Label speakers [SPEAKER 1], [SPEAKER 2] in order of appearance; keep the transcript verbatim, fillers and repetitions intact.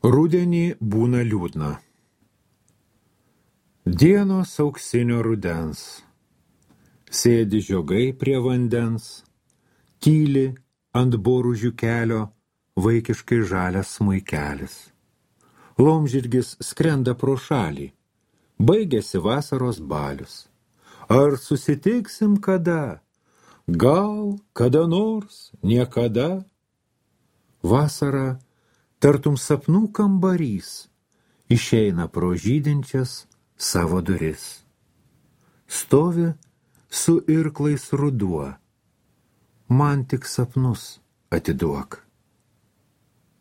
[SPEAKER 1] Rudenį būna liūdna. Dienos auksinio rudens. Sėdi žiogai prie vandens, tyli ant boružių kelio vaikiškai žalias smuikelis. Laumžirgis skrenda pro šalį, baigėsi vasaros balius. Ar susitiksim kada? Gal kada nors, niekada? Vasara, tartum sapnų kambarys, išeina pro žydinčias savo duris. Stovi su irklais ruduo, man tik sapnus atiduok.